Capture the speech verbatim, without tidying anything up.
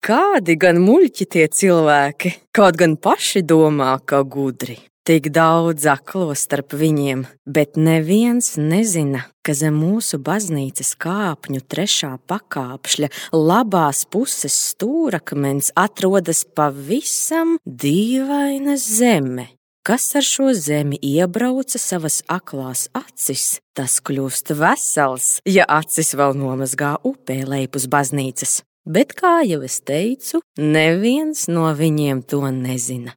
kādi gan muļķi tie cilvēki, kaut gan paši domā, ka gudri. Tik daudz aklo starp viņiem, bet neviens nezina, ka zem mūsu baznīcas kāpņu trešā pakāpšļa labās puses stūrakmens atrodas pavisam dīvaina zeme. Kas ar šo zemi iebrauca savas aklās acis, tas kļūst vesels, ja acis vēl nomazgā upē lejpus baznīcas. Bet, kā jau es teicu, neviens no viņiem to nezina.